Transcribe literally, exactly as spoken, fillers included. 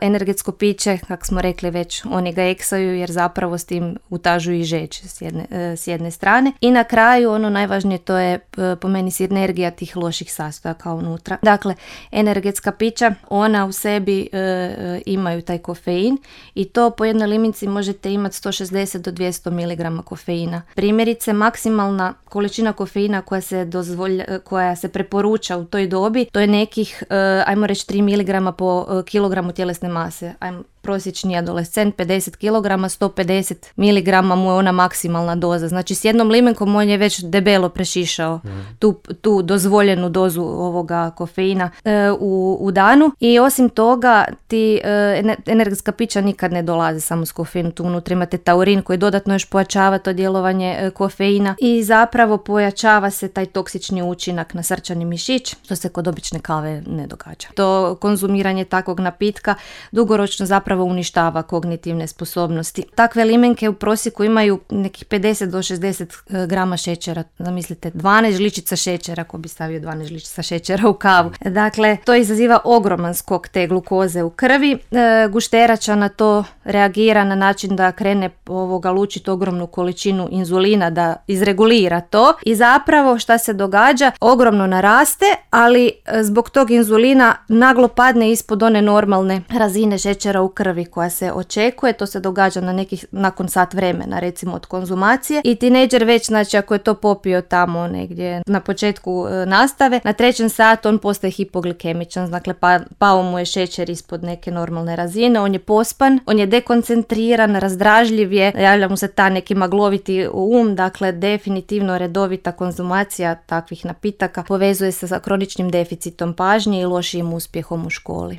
Energetsko piće, kako smo rekli već, oni ga eksaju jer zapravo s tim utažuju i žeđ s jedne, s jedne strane. I na kraju ono najvažnije, to je po meni sinergija tih loših sastojaka unutra. Dakle, energetska pića, ona u sebi e, imaju taj kofein i to po jednoj liminci možete imati sto šezdeset do dvjesto miligrama kofeina. Primjerice, maksimalna količina kofeina koja se dozvolja, koja se preporuča u toj dobi, to je nekih, e, ajmo reći, tri miligrama po e, kilogramu tjelesne mase. Ajmo, prosječni adolescent pedeset kilograma, sto pedeset miligrama mu je ona maksimalna doza. Znači s jednom limenkom on je već debelo prešišao mm. tu, tu dozvoljenu dozu ovoga kofeina e, u, u danu. I osim toga, ti e, energetska pića nikad ne dolaze samo s kofeinom. Tu unutra imate taurin koji dodatno još pojačava to djelovanje e, kofeina i zapravo pojačava se taj toksični učinak na srčani mišić, što se kod obične kave ne događa. To konzumiranje takvog napitka dugoročno zapravo uništava kognitivne sposobnosti. Takve limenke u prosjeku imaju nekih pedeset do šezdeset grama šećera. Zamislite, dvanaest žličica šećera, ko bi stavio dvanaest žličica šećera u kavu. Dakle, to izaziva ogroman skok te glukoze u krvi. E, gušterača na to reagira na način da krene ovoga lučiti ogromnu količinu inzulina da izregulira to i zapravo šta se događa? Ogromno naraste, ali zbog tog inzulina naglo padne ispod one normalne razine šećera u krvi koja se očekuje. To se događa na nekih, nakon sat vremena recimo od konzumacije i tinejdžer već, znači ako je to popio tamo negdje na početku e, nastave, na trećem satu on postaje hipoglikemičan, dakle pa, pao mu je šećer ispod neke normalne razine, on je pospan, on je dekoncentriran, razdražljiv je, javlja mu se ta neki magloviti um, dakle definitivno redovita konzumacija takvih napitaka povezuje se sa kroničnim deficitom pažnje i lošijim uspjehom u školi.